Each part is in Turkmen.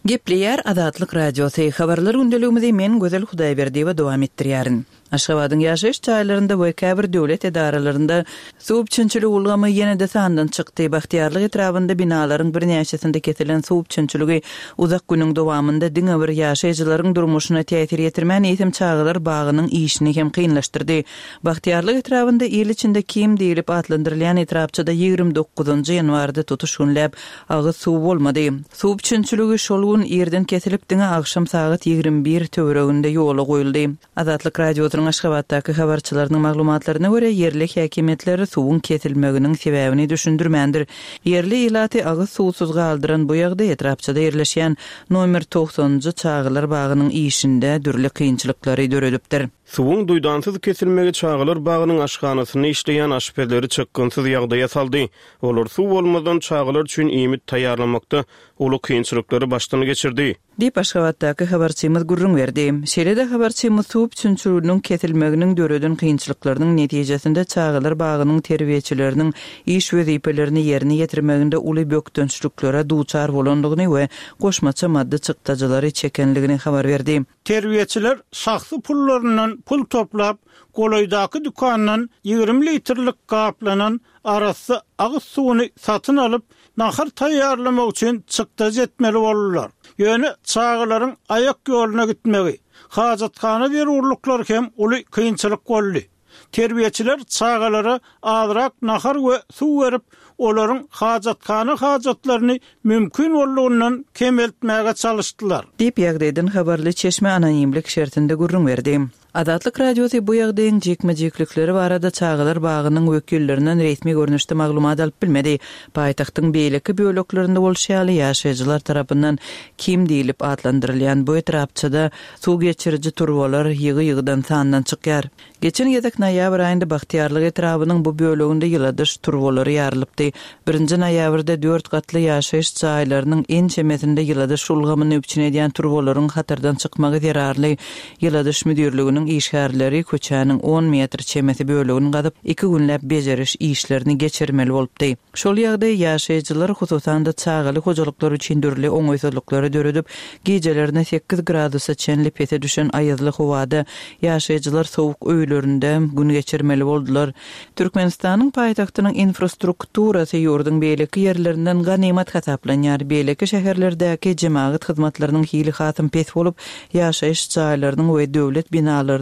Gepleýär Azatlyk Radiosy, Habarlar gündeligimizi men Gözel Hudaýberdiýewa dowam etdirýärin. Aşgabadyň ýaşaýyş jaýlarynda we käbir döwlet edaralarynda suw üpjünçilik ulgamy ýene-de sandan çykdy. Bagtyýarlyk etrabynda binalaryň birnäçesinde kesilen suw üpjünçiligi uzak günüň dowamynda diňe bir ýaşaýjylaryň durmuşyna täsir ýetirmän, eýsem çagalar bagynyň işini hem kynlaşdyrdy. Bagtyýarlyk etrabynda il içinde Kim diýlip atlandyrylýan etrapçada 29 ýanwarda tutuş günläp agyz suwy bolmady. Suw üpjünçiligi şol gün irden kesilip, diňe agşam sagat 21 töwereginde ýola goýuldy. Azatlyk Radiosynyň Aşgabatdaky habarçylarynyň maglumatlaryna görä, ýerli häkimiýetler suwuň kesilmeginiň sebäbini düşündirmändir. Ýerli ilaty agyz suwsuz galdyran bu ýagdaý etrapçada ýerleşýän nomer togsanynjy çagalar bagynyň işinde dürli kynçylyklary döredipdir. Suwuň duýdansyz kesilmegi çagalar bagynyň aşhanasynda işleýän aşpezleri çykgynsyz ýagdaýa saldy. Olar suw bolmazdan çagalar üçin iýmit taýýarlamakda uly kynçylyklary başdan geçirdi. Diýip, Aşgabatdaky habarçymyz gürrüň berdi. Şeýle-de habarçymyz suw üpjünçiliginiň kesilmeginiň döreden kynçylyklarynyň netijesinde çagalar bagynyň terbiýeçileriniň iş wezipelerini ýerine ýetirmeginde uly bökdençliklere duçar bolandygyny we goşmaça maddy çykdajylary çekenligini habar berdi. Terbiýeçiler şahsy pullaryndan pul toplap, golaýdaky dükandan 20 litrlik gaplanan arassa agyz suwuny satyn alyp, nahar taýýarlamak üçin çykdajy etmeli boldular. Ýöne çagalaryň aýak ýoluna gitmegi, hajathana zerurlyklary hem uly kynçylyk boldy. Terbiýeçiler çagalara azrak nahar we suw berip, olaryň hajathana hajatlaryny mümkin boldugyndan kemeltmäge çalyşdylar. Diýip, ýagdaýdan habarly çeşme anonimlik şertinde gürrüň berdi. Azatlyk Radiosy bu ýagdaýyň jikme-jiklikleri barada çagalar bagynyň wekillerinden resmi görnüşde maglumat alyp bilmedi. Paýtagtyň beýleki böleklerinde bolşy ýaly, ýaşaýjylar tarapyndan Kim diýlip atlandyrylýan bu etrapçada suw geçiriji turbalar ýygy-ýygydan sandan çykýar. Geçen gezek noýabr aýynda Bagtyýarlyk etrabynyň bu böleginde ýyladyş turbalary ýarylypdy. Birinji noýabrda dört gatly ýaşaýyş jaýlarynyň ençemesinde ýyladyş ulgamyny üpjün edýän turbalaryň hatardan çykmagy zerarly ýyladyş müdirliginiň işgärleri köçäniň on metr çemesi bölegini gazyp, iki günläp bejeriş işlerini geçirmeli bolupdy. Şol ýagdaý ýaşaýjylar, hususan-da, çagaly hojalyklar üçin dürli oňaýsyzlyklary döredip, gijelerine sekiz gradusa çenli pese düşen aýazly howada ýaşaýjylar sowuk öýlerinde gün geçirmeli boldular. Türkmenistanyň paýtagtynyň infrastrukturasy ýurduň beýleki ýerlerinden ganymat hasaplanýar. Beýleki şäherlerdäki jemagat hyzmatlarynyň hili hasam pes bolup, ýaşaýyş jaýlarynyň we döwlet binalarynyň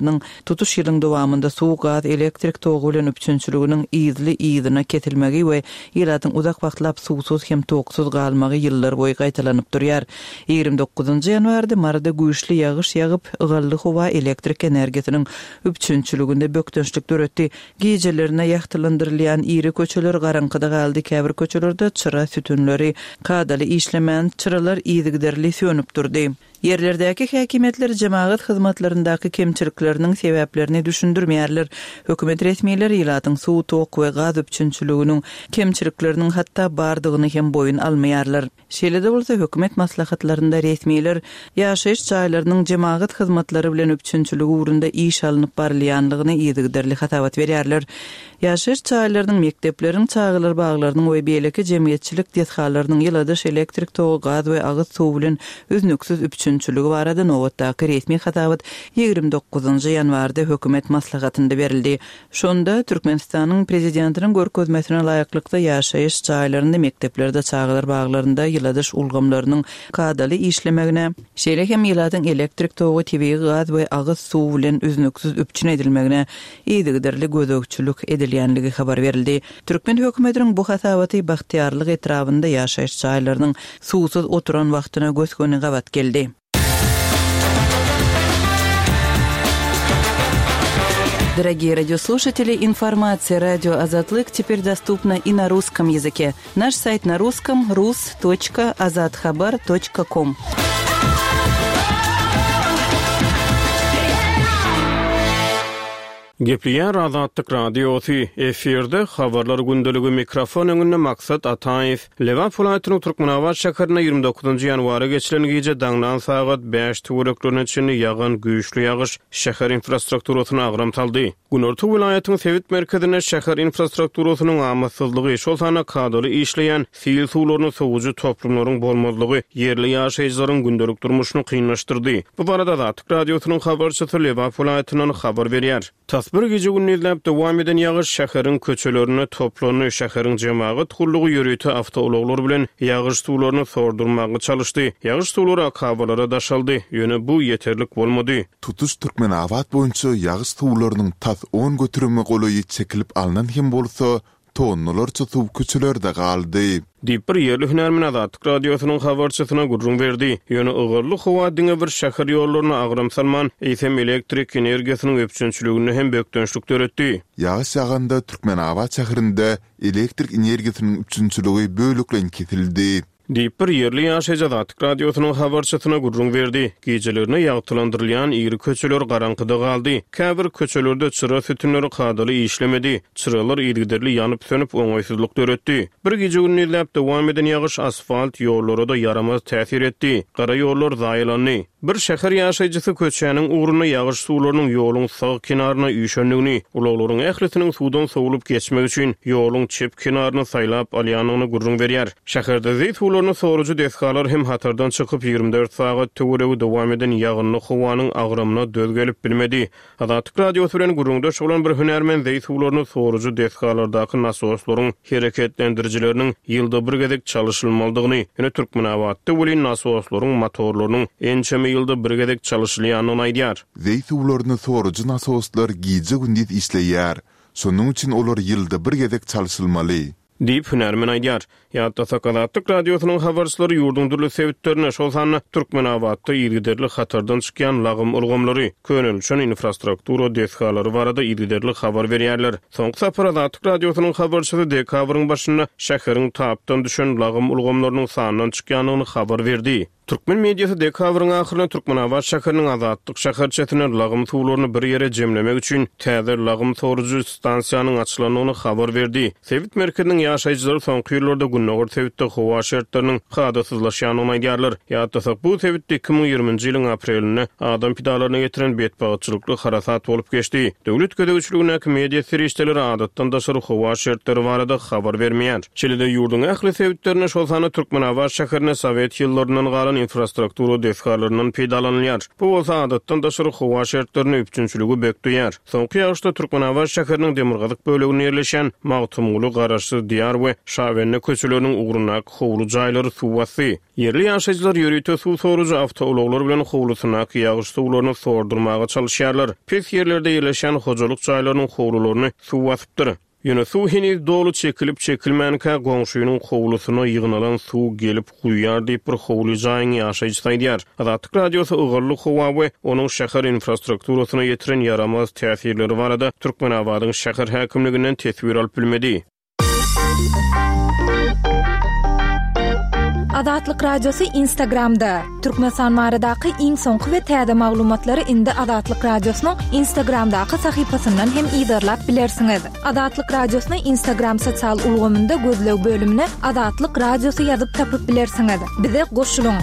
tutuş ýylyň dowamynda suw, gaz, elektrik togy bilen üpjünçiliginiň yzly-yzyna kesilmegi we ilatyň uzak wagtlap suwsuz hem toksuz galmagy ýyllarboýy gaýtalanyp durýar. 29 ýanwarda Maryda güýçli ýagyş ýagyp, ygally howa elektrik energiýasynyň üpjünçiliginde bökdençlik döretdi. Gijelerine ýagtylandyrylýan iri köçeler garaňkyda galdy, käbir köçelerde çyra sütünleri kadaly işlemän, çyralar yzygiderli sönüp durdy. Ýerlerdäki häkimiýetler jemagat hyzmatlaryndaky kemçilikleriniň sebäplerini düşündirmeýärler. Hökümet resmileri ilatyň suw, tok we gaz üpjünçiliginiň kemçilikleriniň hatda bardygyny hem boýun almaýarlar. Şeýle-de bolsa, hökümet maslahatlarynda resmiler ýaşaýyş jaýlarynyň jemagat hyzmatlary bilen üpjünçiligi ugrunda iş alnyp barylýanlygyny yzygiderli hasabat berýärler. Ýaşaýyş jaýlarynyň, mekdepleriň, çagalar baglarynyň we beýleki jemgyýetçilik desgalarynyň ýyladyş, elektrik togy, gaz we agyz suwy bilen üznüksiz üpjünçiligi barada nobatdaky resmi hasabat 29 ýanwarda hökümet maslahatynda berildi. Şonda Türkmenistanyň Prezidentiniň görkezmesine laýyklykda ýaşaýyş jaýlarynda, mekdeplerde, çagalar baglarynda ýyladyş ulgamlarynyň kadaly işlemegine, şeýle hem ilatyň elektrik togy, tebigy gaz we agyz suwy bilen üznüksiz üpjün edilmegine yzygiderli gözegçilik edilýänligi habar berildi. Türkmen hökümetiniň bu hasabaty Bagtyýarlyk etrabynda ýaşaýyş jaýlarynyň suwsuz oturan wagtyna gös-göni gabat geldi. Дорогие радиослушатели, информация радио Азатлык теперь доступна и на русском языке. Наш сайт на русском rus.azathabar.com. Gepleýär Azatlyk Radiosy, efirde Habarlar gündeligi, mikrofon öňünde Maksat Ataýew. Lebap welaýatynyň Türkmenabat şäherinde 29 ýanwara geçilen gije daňdan sagat bäş töwereklerine çenli ýagan güýçli ýagyş şäher infrastrukturasyna agram saldy. Günorta welaýatyň sebit merkezinde şäher infrastrukturasynyň amatsyzlygy, şol sanda kadaly işleýän sil suwlaryny sowujy toplumlaryň bolmazlygy ýerli ýaşaýjylaryň gündelik durmuşyny kynlaşdyrdy. Bu barada Azatlyk Radiosynyň habarçysy Lebap welaýatyndan habar berýär. Tas bir gije-gündizläp dowam eden ýagyş şäheriň köçelerinde toplandy, şäheriň jemagat gullugy ýörite awtoulaglar bilen ýagyş suwlaryny sordurmaga çalyşdy. Ýagyş suwlary akabalara daşaldy, ýöne bu ýeterlik bolmady. Tutuş Türkmenabat boýunça ýagyş suwlarynyň tas on göterime golaýy çekilip alnan hem bolsa, tonnalarça suw köçelerde galdy. Diýip, bir ýerli hünärmen Azatlyk Radiosynyň habarçysyna gürrüň berdi. Ýöne ygally howa diňe bir şäher ýollaryna agram salman, eýsem elektrik energiýasynyň üpjünçiliginde hem bökdençlik döretdi. Ýagyş ýaganda Türkmenabat şäherinde elektrik energiýasynyň üpjünçiligi bölekleýin kesildi. Diýip, bir ýerli ýaşaýjy Azatlyk Radiosynyň habarçysyna gürrüň berdi. Gijelerine ýagtylandyrylýan iri köçeler garaňkyda galdy. Käbir köçelerde çyra sütünleri kadaly işlemedi. Çyralar yzygiderli ýanyp-sönüp, oňaýsyzlyk döretdi. Bir gije-gündizläp dowam eden ýagyş asfalt ýollara-da ýaramaz täsir etdi. Gara ýollar zaýalandy. Bir şäher ýaşaýjysy köçäniň ugrunda ýagyş suwlarynyň ýoluň sag kenaryna üýşendigini, ulaglaryň ählisiniň suwdan sowlup geçmek üçin ýoluň çep kenaryny saýlap alýandygyny gürrüň berýär. Şäherde zeý suwlaryny sorujy desgalar hem hatardan çykyp, 24 sagat töweregi dowam eden ýagynly howanyň agramyna döz gelip bilmedi. Azatlyk Radiosy bilen gürrüňdeş bolan bir hünärmen zeý suwlaryny sorujy desgalardaky nasoslaryň hereketlendirijileriniň ýylda bir gezek çalyşylmalydygyny, ýöne Türkmenabatda welin nasoslaryň motorlarynyň ençeme ýylda bir gezek çalyşylýandygyny aýdýar. Zeý suwlaryny sorujy nasoslar gije-gündiz işleýär. Şonuň üçin olar ýylda bir gezek çalşylmaly. Diýip, hünärmen aýdýar. Ýatlasak, Azatlyk Radiosynyň habarçylary ýurduň dürli sebitlerinde, şol sanda Türkmenabatda yzygiderli hatardan çykýan lagym ulgamlary, könelişen infrastruktura desgalary barada yzygiderli habar berýärler. Soňky sapar Azatlyk Radiosynyň habarçysy dekabryň başynda şäheriň tapdan düşen lagym ulgamlarynyň sandan çykýandygyny habar berdi. Türkmen mediasy dekabryň ahyrynda Türkmenabat şäheriniň Azatlyk şäherçesinde lagym suwlaryny bir ýere jemlemek üçin täze lagym sorujy stansiýanyň açylandygyny habar berdi. Sebit merkeziniň ýaşaýjylary soňky ýyllarda gündogar sebitde howa şertleriniň kadasyzlaşýandygyny aýdýarlar. Ýatlasak, bu sebitde 2020-nji ýylyň aprelinde adam pidalaryna getiren betbagtçylykly harasat bolup geçdi. Döwlet gözegçiligindäki media serişdeleri adatdan daşary howa şertleri barada habar bermeýär. Şeýle-de ýurduň ähli sebitlerinde, şol sanda Türkmenabat şäherinde sowet ýyllaryndan galan infrastruktura desgalaryndan peýdalanylýar. Bu bolsa adatdan daşary howa şertlerinde üpjünçiligi bökdeýär. Soňky ýagyşda Türkmenabat şäheriniň demirgazyk böleginde ýerleşýän Magtymguly, Garaşsyz Diýar we Şabende köçeleriniň ugrundaky howly jaýlary suw basdy. Ýerli ýaşaýjylar ýörite suw sorujy awtoulaglar bilen howlusyndaky ýagyş suwlaryny sordurmaga çalyşýarlar. Pes ýerlerde ýerleşýän hojalyk jaýlarynyň howlularyny suw basypdyr. Ýöne suw heniz doly çekilip-çekilmänkä goňşynyň howlusyna ýygnalan suw gelip guýýar diýip, bir howly jaýyň ýaşaýjysy aýdýar. Azatlyk Radiosy ygally howa we onuň şäher infrastrukturasyna ýetiren ýaramaz täsirleri barada Türkmenabadyň şäher häkimliginden teswir alyp bilmedi. Azatlyk Radiosy Instagramda, Türkmenistan baradaky iň soňky we täze maglumatlary indi Azatlyk Radiosynyň Instagramdaky sahypasyndan hem yzarlap bilersiňiz. Azatlyk Radiosyny Instagram sosial ulgamynda gözleg bölümine Azatlyk Radiosy ýazyp tapyp bilersiňiz. Bize goşulyň!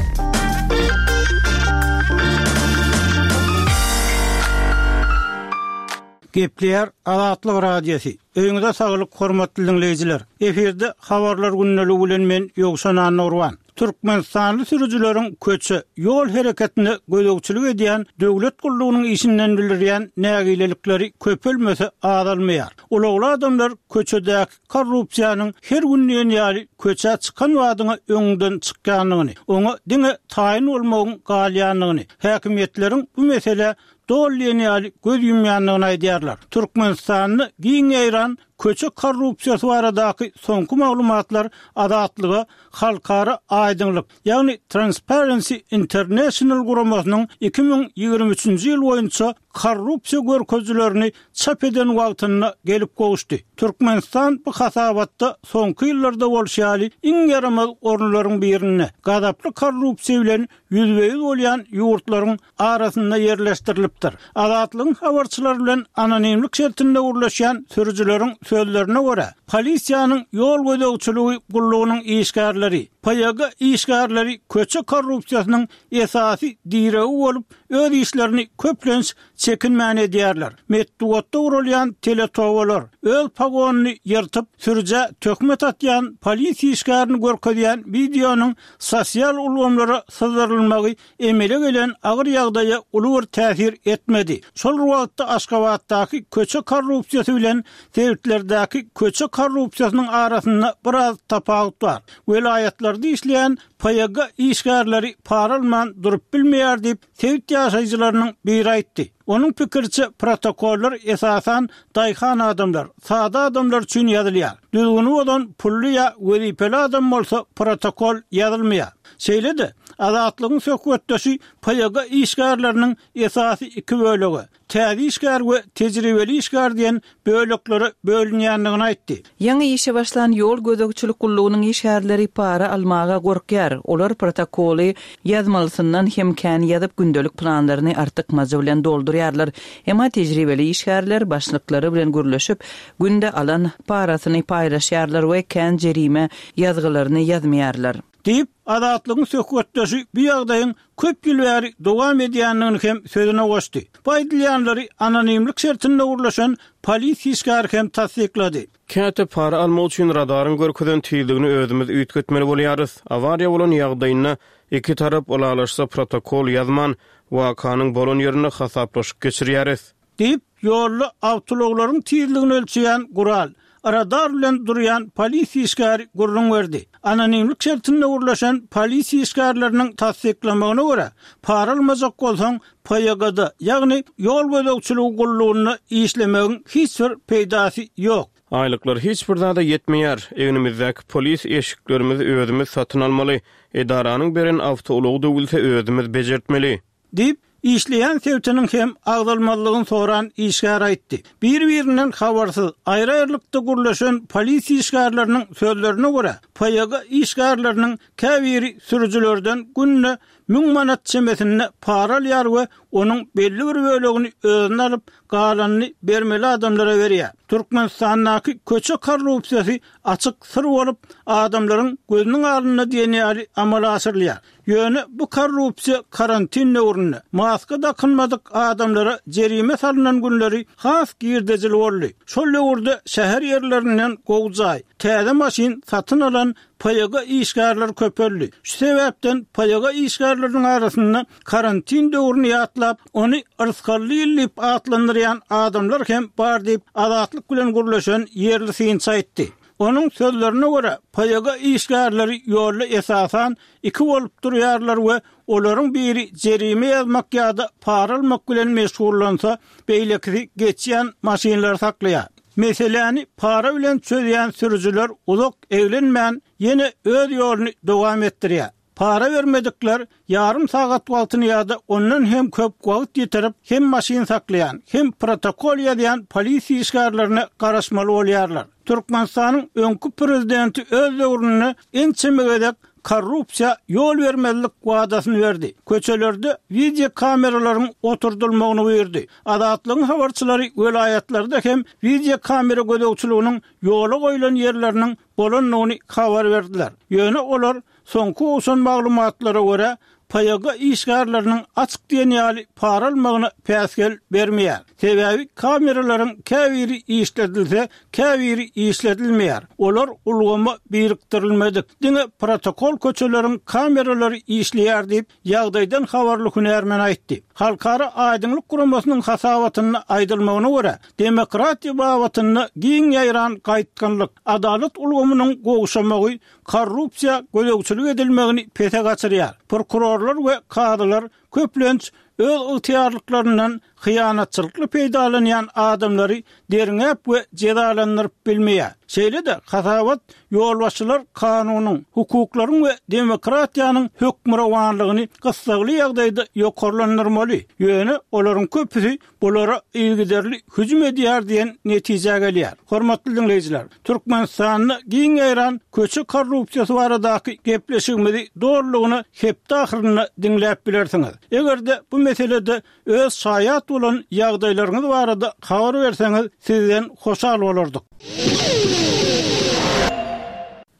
Gepleýär Azatlyk Radiosy. Öýüňize saglyk hormatly diňleýjiler. Efirde habarlar gündeligi bilen men Ýowşan Annagurban. Türkmenistanly sürüjileriň köçe, ýol hereketine gözegçilik edýän döwlet gullugynyň işinden bildirýän nägilelikleri köpelmese azalmaýar. Ulagly adamlar köçedäki korrupsiýanyň her gün diýen ýaly köçä çykan badyňa öňüňden çykýandygyny, oňa diňe taýyn bolmagyň galýandygyny, häkimiýetleriň bu meselä doly diýen ýaly göz ýumýandygyny aýdýarlar. Türkmenistanda giň ýaýran köçe korrupsiýasy baradaky soňky maglumatlar Azatlyga Halkara aýdyňlyk, ýagny Transparency International guramasynyň 2023-nji ýyl boýunça korrupsiýa görkezijilerini çap eden wagtynda gelip gowuşdy. Türkmenistan bu hasabatda soňky ýyllarda bolşy ýaly iň ýaramaz orunlaryň birinde, gazaply korrupsiýa bilen ýüzbe-ýüz bolýan ýurtlaryň arasynda ýerleşdirilipdir. Azatlygyň habarçylary bilen anonimlik şertinde gürleşýän sürüjileriň sözlerine görä, polisiýanyň ýol gözegçiligi gullugynyň işgärleri, PYG işgärleri köçe korrupsiýasynyň esasy diregi bolup, öz işlerini köplenç çekinmän edýärler. Metbugatda guralýan teletobalar, öz pogonyny ýyrtyp, sürüjä töhmet atýan polisiýa işgärini görkezýän wideonyň sosial ulgamlara syzdyrylmagy emele gelen agyr ýagdaýa uly bir täsir etmedi. Şol bir wagtda Aşgabatdaky köçe korrupsiýasy bilen sebitlerdäki köçe korrupsiýasynyň arasynda biraz tapawut bar. Welaýatlarda işleýän PYG işgärleri para alman durup bilmeýär diýip, sebit ýaşaýjylarynyň biri aýtdy. Onuň pikiriçe, protokollar esasan daýhan adamlar, sada adamlar üçin ýazylýar. Düzgüni bozan pully ýa wezipeli adam bolsa protokol ýazylmaýar. Şeýle-de, Azatlygyň söhbetdeşi PYG işgärleriniň esasy iki bölege, täze işgär we tejribeli işgär diýen böleklere bölünýändigini aýtdy. Ýaňy işe başlan ýol gözegçilik gullugynyň işgärleri para almaga gorkýar. Olar protokoly ýazmalysyndan hem kän ýazyp, gündelik planlaryny artykmajy bilen doldurýarlar. Emma tejribeli işgärler başlyklary bilen gürleşip, günde alan parasyny paýlaşýarlar we kän jerime ýazgylaryny ýazmaýarlar. Diýip, Azatlygyň söhbetdeşi bu ýagdaýyň köp ýyl bäri dowam edýändigini hem sözüne goşdy. Bu aýdylýanlary anonimlik şertinde gürleşen polisiýa işgäri hem tassyklady. Käte para almak üçin radaryň görkezen tizligini özümiz üýtgetmeli bolýarys. Awariýa bolan ýagdaýynda iki tarap ylalaşsa protokol ýazman, wakanyň bolan ýerinde hasaplaşyk geçirýäris. Diýip, ýolda awtoulaglaryň tizligini ölçeýän gural, radar bilen durýan polisiýa işgäri gürrüň berdi. Anonimlik şertinde gürleşen polisiýa işgärleriniň tassyklamagyna görä, para almajak bolsaň, PYG-da, ýagny ýol gözegçiligi gullugynda işlemegiň hiç bir peýdasy ýok. Aýlyklar hiç bir zada ýetmeýär. Egnimizdäki polis eşiklerimizi özümiz satyn almaly. Edaranyň beren awtoulagy döwülse özümiz bejertmeli. Diýip, işleýän sebitiniň hem agzalmazlygyny soran işgär aýtdy. Bir-birinden habarsyz, aýry-aýrylykda gürleşen polisiýa işgärleriniň sözlerine görä, PYG işgärleriniň käbiri sürüjilerden günde 1000 manat çemesinde para alýar we onuň belli bir bölegini özüne alyp, galanyny bermeli adamlara berýär. Türkmenistandaky köçe korrupsiýasy açyk syr bolup, adamlaryň gözüniň alnynda diýen ýaly amala aşyrylýar. Ýöne bu korrupsiýa karantin döwründe, maska dakynmadyk adamlara jerime salnan günleri has girdejili boldy. Şol döwürde şäher ýerlerinden gowy jaý, täze maşyn satyn alan PYG işgärleri köpeldi. Şu sebäpden PYG işgärleriniň arasynda karantin döwrüni ýatlap, ony yrsgally ýyl diýip atlandyrýan adamlar hem bar diýip, Azatlyk bilen gürleşen ýerli synçy aýtdy. Onuň sözlerine görä, PYG işgärleri ýolda esasan iki bolup durýarlar we olaryň biri jerime ýazmak ýa-da para almak bilen meşgullansa, beýlekisi geçýän maşynlary saklaýar. Meseläni para bilen çözýän sürüjiler uzak eglenmän, ýene öz ýoluny dowam etdirýär. Para bermedikler ýarym sagat wagtyny ýa-da ondan hem köp wagt ýitirip, hem maşyn saklaýan, hem protokol ýazýan polisiýa işgärlerine garaşmaly bolýarlar. Türkmenistanyň öňki prezidenti öz döwründe ençeme gezek korrupsiýa ýol bermezlik wadasyny berdi. Köçelerde wideokameralaryň oturdylmagyny buýurdy. Azatlygyň habarçylary welaýatlarda hem wideokamera gözegçiliginiň ýola goýlan ýerleriniň bolandygyny habar berdiler. Ýöne olar soňky gowşan maglumatlara görä, PYG işgärleriniň açyk diýen ýaly para almagyna päsgel bermeýär. Sebäbi kameralaryň käbiri işledilse, käbiri işledilmeýär. Olar ulgama birikdirilmedik. Diňe protokol köçeleriň kameralary işleýär diýip, Ýagdaýdan habarly hünärmen aýtdy. Halkara Aýdyňlyk guramasynyň hasabatynda aýdylmagyna görä, demokratiýa babatynda giň ýaýran gaýtgynlyk, adalat ulgamynyň gowşamagy korrupsiýa gözegçilik edilmegini pese gaçyrýar. Prokurorlar we kazylar köplenç öz ygtyýarlyklaryndan hyýanatçylykly peýdalanýan adamlary derňäp we jezalandyryp bilmeýär. Şeýle-de, hasabat ýolbaşçylar kanunyň, hukuklaryň we demokratiýanyň hökmürowanlygyny gyssagly ýagdaýda ýokarlandyrmaly, ýöne olaryň köpüsi bulara yzygiderli hüjüm edýär diýen netijä gelýär. Hormatly diňleýjiler, Türkmenistanda giň ýaýran köçe korrupsiýasy baradaky gepleşigimizi dolulygyna hepde ahyrynda diňläp bilersiňiz. Eger-de bu. meselede öz şaýat bolan ýagdaýlaryňyz barada habar berseňiz, sizden hoşal bolardyk.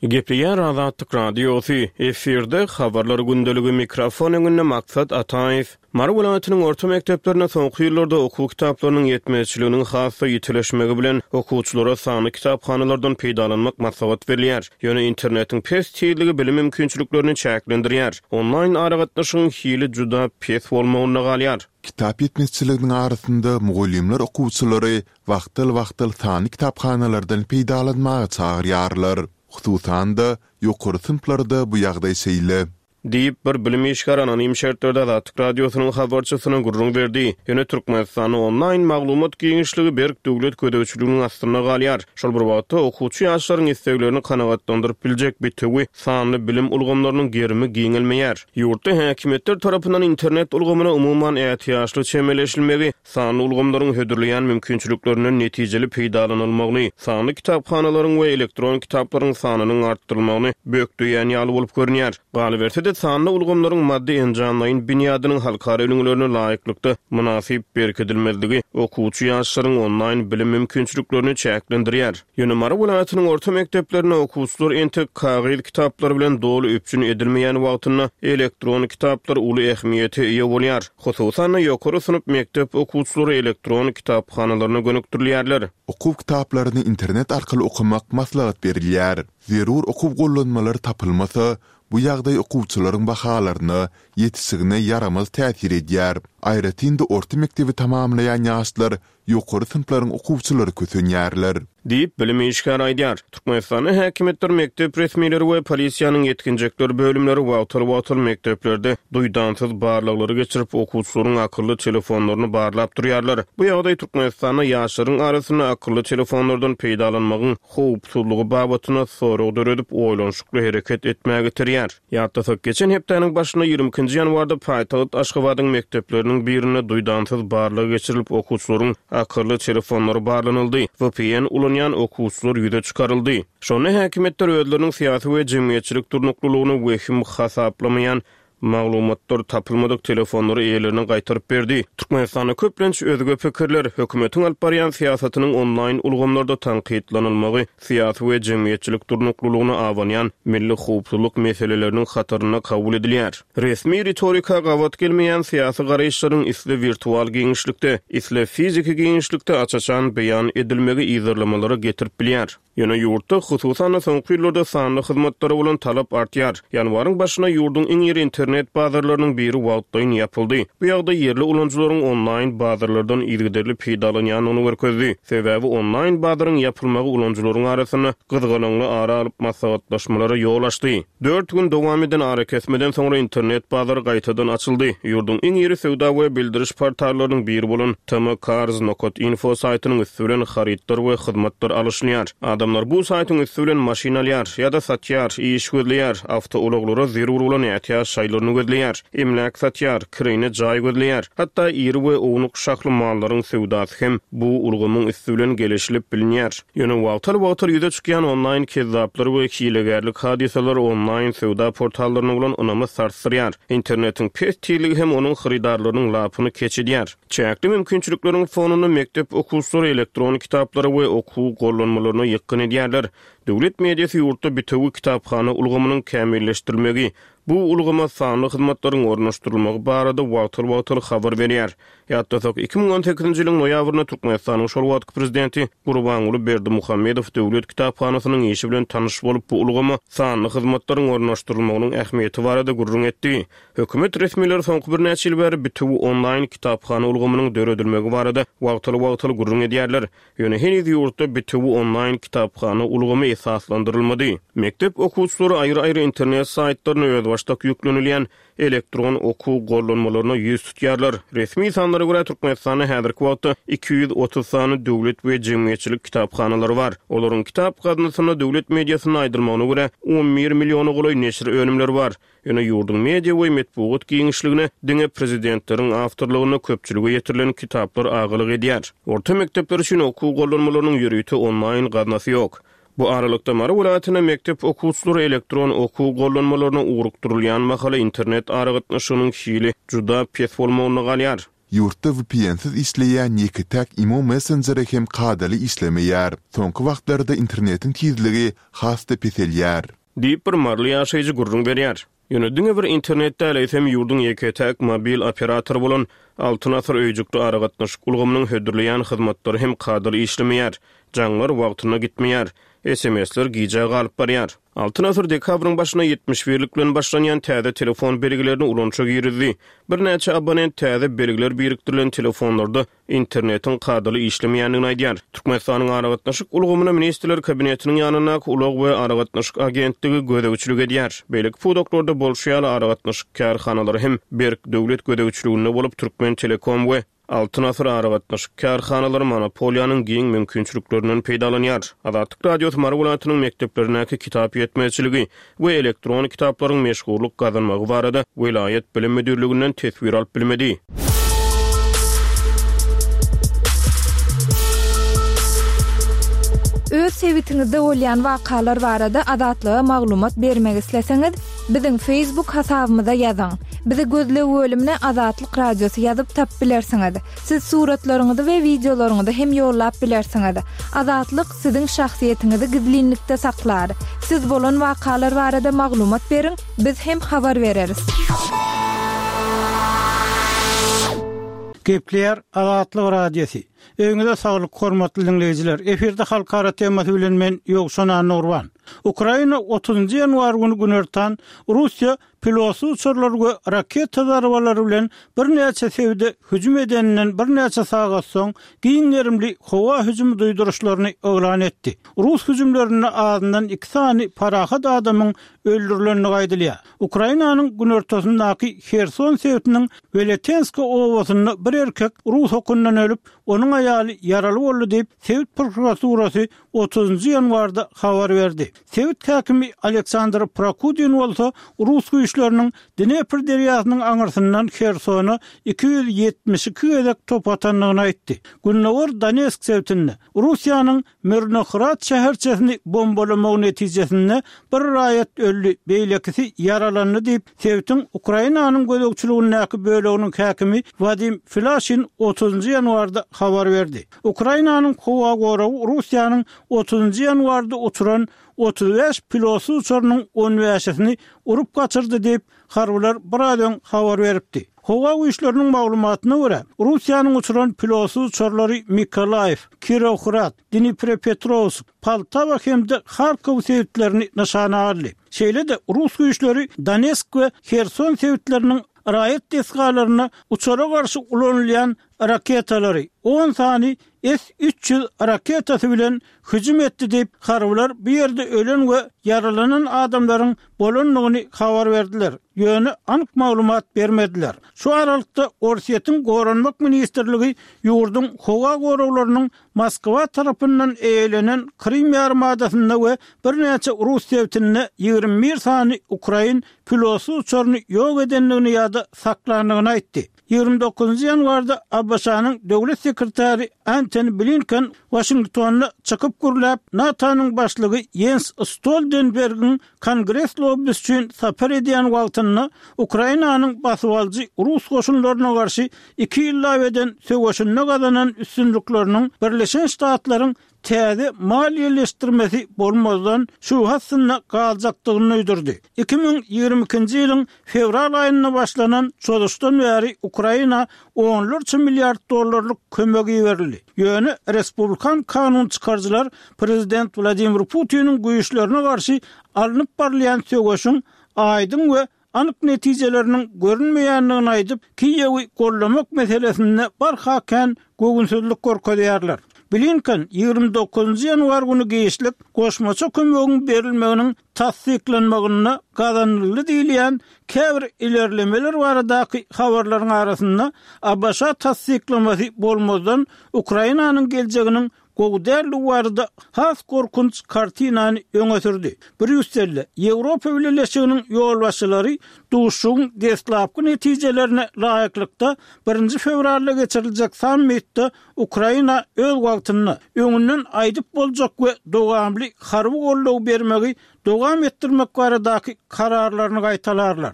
Gepleýär Azatlyk Radiosy, efirde Habarlar gündeligi, mikrofon öňünde Maksat Ataýew. Mary welaýatynyň orta mekdeplerinde soňky ýyllarda okuw kitaplarynyň ýetmezçiliginiň has-da ýitileşmegi bilen, okuwçylara sanly kitaphanalardan peýdalanmak maslahat berilýär. Ýöne internetiň pes tizligi bilim mümkinçiliklerini çäklendirýär. Onlaýn aragatnaşygyň hili juda pes bolmagynda galýar. Kitap ýetmezçiliginiň arasynda mugallymlar okuwçylary wagtal-wagtal sanly kitaphanalardan peýdalanmaga çagyrýarlar. Hususan-da, ýokary synplarda bu ýagdaý şeýle. Diýip, bir bilim işgäri anonim şertlerde Azatlyk Radiosynyň habarçysyna gürrüň berdi. Ýöne Türkmenistanda onlaýn maglumat giňişligi berk döwlet gözegçiliginiň astynda galýar. Şol bir wagtda, okuwçy ýaşlaryň isleglerini kanagatlandyryp biljek bitewi sanly bilim ulgamlarynyň gerimi giňelmeýär. Ýurtda häkimiýetler tarapyndan internet ulgamyna umuman ätiýaçly çemeleşilmegi Sanly ulgamlaryň hödürleýän mümkinçiliklerinden netijeli peýdalanylmagyny, sanly kitaphanalaryň we elektron kitaplaryň sanynyň artdyrylmagyny bökdeýän ýaly bolup görünýär. Galyberse-de, sanly ulgamlaryň maddy-enjamlaýyn binýadynyň halkara ülňülerine laýyklykda mynasyp berkidilmezligi okuwçy ýaşlaryň onlaýn bilim mümkinçiliklerini çäklendirýär. Ýöne Mary welaýatynyň orta mekdeplerinde okuwçylar entek kagyz kitaplar bilen doly üpjün edilmeýän wagtynda elektron kitaplar uly ähmiýete eýe bolýar. Hususan-da, ýokary synp mekdep okuwçylary elektron kitaphanalaryna gönükdirilýärler. Okuw kitaplaryny internet arkaly okamak maslahat berilýär. Zerur okuw gollanmalary tapylmasa, bu ýagdaý okuwçylaryň bahalaryna, ýetişigine ýaramaz täsir edýär. Aýratyn-da orta mekdebi tamamlaýan ýaşlar ýokary synplaryň okuwçylary kösenýärler. Diýip, bilim işgäri aýdýar. Türkmenistanda häkimiýetler, mekdep resmileri we polisiýanyň ýetginjekler bölümleri wagtal-wagtal mekdeplerde duýdansyz barlaglary geçirip, okuwçylaryň akylly telefonlaryny barlap durýarlar. Bu ýagdaý Türkmenistanda ýaşlaryň arasynda akylly telefonlardan peýdalanmagyň howpsuzlygy babatynda sorag döredip, oýlanyşykly hereket etmäge iterýär. Ýatlasak, geçen hepdäniň başynda, 22 nji ýanwarda paýtagt Aşgabadyň mekdepleriniň birinde duýdansyz barlag geçirilip, okuwçylaryň akylly telefonlary barlanyldy, vpn ulanýan okuwçylar ýüze çykaryldy. Şonda häkimiýetler özleriniň syýasy we jemgyýetçilik durnuklylygyny wehim hasaplamaýan maglumatlar tapylmadyk telefonlary eýelerine gaýtaryp berdi. Türkmenistanda köplenç özge pikirler, hökümetiň alyp barýan syýasatynyň onlaýn ulgamlarda tankytlanylmagy syýasy we jemgyýetçilik durnuklylygyna abanýan milli howpsuzlyk meseleleriniň hatarynda kabul edilýär. Resmi ritorika gabat gelmeýän syýasy garaýyşlaryň isle wirtual giňişlikde, isle fiziki giňişlikde aç-açan beýan edilmegi yzarlamalara getirip bilýär. Ýöne ýurtda, hususan-da soňky ýyllarda sanly hyzmatlara bolan talap artýar. Ýanwaryň başynda ýurduň iň iri internet bazarlarynyň biri wagtlaýyn ýapyldy. Bu ýagdaý ýerli ulanyjylaryň onlaýn bazarlardan yzygiderli peýdalanýandygyny görkezdi. Sebäbi onlaýn bazaryň ýapylmagy ulanyjylaryň arasynda gyzgalaňly ara alyp maslahatlaşmalara ýol açdy. Dört gün dowam eden arakesmeden soňra internet bazary gaýtadan açyldy. Ýurduň iň iri söwda we bildiriş portallarynyň biri bolan tmcars nokat info saýtynyň üsti bilen harytlar we hyzmatlar alyşylýar. Adamlar bu saýtyň üsti bilen maşyn alýar ýa-da satýar, iş gözleýär, awtoulaglara zerur bolan ätiýaç şaýlaryny gözleýär, emläk satýar, kireýine jaý gözleýär. Hatda iri we ownuk şahly mallaryň söwdasy hem bu ulgamyň üsti bilen geleşilip bilinýär. Ýöne wagtal-wagtal ýüze çykýan onlaýn kezzaplar we hilegärlik hadysalary onlaýn söwda portallaryna bolan ynamy sarsdyrýar. Internetiň pes tizligi hem onuň hyrydarlarynyň lapyny keç edýär. Çäkli mümkinçilikleriň fonunda mekdep okuwçylary elektron kitaplara we okuw gollanmalaryna ýykgyn edýärler. Döwlet mediasy ýurtda bitewi kitaphana ulgamynyň kämilleşdirilmegi, bu ulgama sanly hyzmatlaryň ornaşdyrylmagy barada wagtal-wagtal habar berýär. Ýatlasak, 2018-nji ýylyň noýabrynda Türkmenistanyň şol wagtky prezidenti Gurbanguly Berdimuhamedow Döwlet kitaphanasynyň işi bilen tanyş bolup, bu ulgama sanly hyzmatlaryň ornaşdyrylmagynyň ähmiýeti barada gürrüň etdi. Hökümet resmileri soňky birnäçe ýyl bäri bitewi onlaýn kitaphana ulgamynyň döredilmegi barada wagtal-wagtal gürrüň edýärler. Ýöne heniz ýurtda bitewi onlaýn kitaphana ulgamy esaslandyrylmady. Mekdep okuwçylary aýry-aýry internet saýtlaryna özbaşdak ýüklenilýän elektron okuw gollanmalaryna ýüz tutýarlar. Resmi sanlara görä, Türkmenistanda häzirki wagtda 230 sany döwlet we jemgyýetçilik kitaphanalary bar. Olaryň kitap gaznasynda, döwlet mediasynda aýdylmagyna görä, on bir milliona golaý neşir önümleri bar. Ýöne ýurduň media we metbugat giňişligine diňe prezidentleriň awtorlygynda köpçülige ýetirilen kitaplar agalyk edýär. Orta mekdepler üçin okuw gollanmalarynyň ýörite onlaýn gaznasy ýok. Bu aralykda, Mary welaýatynda mekdep okuwçylary elektron okuw gollanmalaryna ugrukdyrylýan mahaly internet aragatnaşygynyň hili juda pes bolmagynda galýar. Ýurtda VPN-siz işleýän ýeke-täk imo messenjeri hem kadaly işlemeýär. Soňky wagtlarda internetiň tizligi has-da peselýär. Diýip, bir maryly ýaşaýjy gürrüň berýär. Ýöne diňe bir internet däl, eýsem ýurduň ýeke-täk mobil operatory bolan Altyn Asyr öýjükli aragatnaşyk ulgamynyň hödürleýän hyzmatlary hem kadaly işlemeýär. Jaňlar wagtynda gitmeýär. SMS-ler gijä galyp barýar. Altyn Asyr dekabryň başynda 71-lik bilen başlanýan täze telefon belgilerini ulanyşa girizdi. Birnäçe abonent täze belgiler birikdirilen telefonlarda internetiň kadaly işlemeýändigini aýdýar. Türkmenistanyň aragatnaşyk ulgamyna Ministrler Kabinetiniň ýanyndaky Ulag we aragatnaşyk agentligi gözegçilik edýär. Beýleki pudaklarda bolşy ýaly, aragatnaşyk kärhanalary hem berk döwlet gözegçiliginde bolup, Türkmentelekom we Altyn asyr aragatnaşyk kärhanalary monopoliýanyň giň mümkinçiliklerinden peýdalanýar. Azatlyk Radiosy Mary welaýatynyň mekdeplerindäki kitap ýetmezçiligi we elektron kitaplaryň meşhurlyk gazanmagy barada welaýat bilim müdirliginden teswir alyp bilmedi. Öz sebitiňizde bolýan wakalar barada Azatlyga maglumat bermek isleseňiz, biziň Facebook hasabymyza ýazyň. Bizi gözleg bölümine Azatlyk Radiosy ýazyp tapyp bilersiňiz. Siz suratlaryňyzy we wideolaryňyzy hem ýollap bilersiňiz. Azatlyk siziň şahsyýetiňizi gizlinlikde saklar. Siz bolan wakalar barada maglumat beriň, biz hem habar bereris. Gepleýär Azatlyk Radiosy. Öýüňize saglyk hormatly diňleýjiler. Efirde halkara temasy bilen men Ýowşan Annagurban. Ukraina otuzynjy ýanwar güni günortan Russiýa Pilotsyz uçarlar we raketa zarbalary bilen birnäçe sebite hüjüm edeninden birnäçe sagat soň, giň gerimli howa hüjümi duýduryşlaryny yglan etdi. Rus hüjümlerinde azyndan iki sany parahat adamyň öldürilendigi aýdylýar. Ukrainanyň günortasyndaky Herson sebitiniň Weletenska obasynda bir erkek rus okundan ölüp, onuň aýaly ýaraly boldy diýip, sebit prokuraturasy otuzynjy ýanwarda habar berdi. Sebit häkimi Aleksandr Prokudin bolsa rus güýçleriniň Dnepr derýasynyň aňyrsyndan Hersona 272 gezek top atandygyny aýtdy. Gündogar Donetsk sebitinde Russiýanyň Myrnohrad şäherçesini bombalamagy netijesinde bir raýat öldi, beýlekisi ýaralandy diýip, sebitiň Ukrainanyň gözegçiligindäki böleginiň häkimi Wadim Filaşin otuzynjy ýanwarda habar berdi. Ukrainanyň howa goragy Russiýanyň otuzynjy ýanwarda uçuran 35 pilotsyz uçarynyň on bäşisini urup gaçyrdy diýip, harbylar biraz öň habar beripdi. Howa güýçleriniň maglumatyna görä, Russiýanyň uçuran pilotsyz uçarlary Mykolaýiw, Kirowohrad, Dniprepetrowsk, Poltawa hem-de Harkow sebitlerini nyşana aldy. Şeýle-de, rus güýçleri Donetsk we Herson sebitleriniň raýat desgalaryna uçara garşy ulanylýan raketalary, on sany S 300 raketasy bilen hüjüm etdi diýip, harbylar bu ýerde ölen we ýaralanan adamlaryň bolandygyny habar berdiler, ýöne anyk maglumat bermediler. Şu aralykda, Orsýetiň Goranmak ministrligi ýurduň howa goraglarynyň Moskwa tarapyndan eýelenen Krym ýarymadasynda we birnäçe rus sebitinde 21 sany ukrain pilotsyz uçaryny ýok edendigini ýa-da saklandygyny aýtdy. 29 ýanwarda ABŞ-nyň Döwlet sekretary Antony Blinken Waşingtonda çykyp gürläp, NATO-nyň başlygy Ýens Stoltenbergiň Kongres lobbisi üçin sapar edýän wagtynda Ukrainanyň basybalyjy rus goşunlaryna garşy iki ýyllap eden söweşinde gazanan üstünlikleriniň Birleşen Ştatlaryň täze maliýeleşdirmesi bolmazdan şübhe astynda galjakdygyny duýdurdy. 2022-nji ýylyň fewral aýynda başlanan çozuşdan bäri Ukraina onlarça milliard dollarlyk kömek iberildi. Ýöne respublikan kanun çykaryjylar prezident Wladimir Putiniň güýçlerine garşy alnyp barylýan söweşiň aýdyň we anyk netijeleriniň görünmeýändigini aýdyp, Kiýewi goldamak meselesinde barha kän göwünsizlik görkezýärler. Blinken 29 ýanwar güni giçlik goşmaça kömegiň berilmeginiň tassyklanmagynda gazanyldy diýilýän käbir ilerlemeler baradaky habarlaryň arasynda ABŞ tassyklamasy bolmazdan Ukrainanyň geljeginiň. gowy däldigi barada has gorkunç kartinany öňe sürdi. Brýusselde Ýewropa Bileleşiginiň ýolbaşçylary duşuşygyň deslapky netijelerine laýyklykda birinji fewralda geçiriljek sammitde Ukraina öz wagtynda, öňünden aýdyp boljak we dowamly harby goldaw bermegi dowam etdirmek baradaky kararlaryny gaýtalarlar.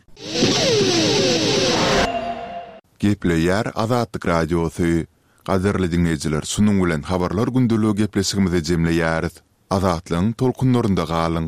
Gepleýär Azatlyk Radiosy. Gadyrly diňleýjiler şunuň bilen Habarlar gündeligi gepleşigimizi jemleýäris. Azatlygyň tolkunlarynda galyň!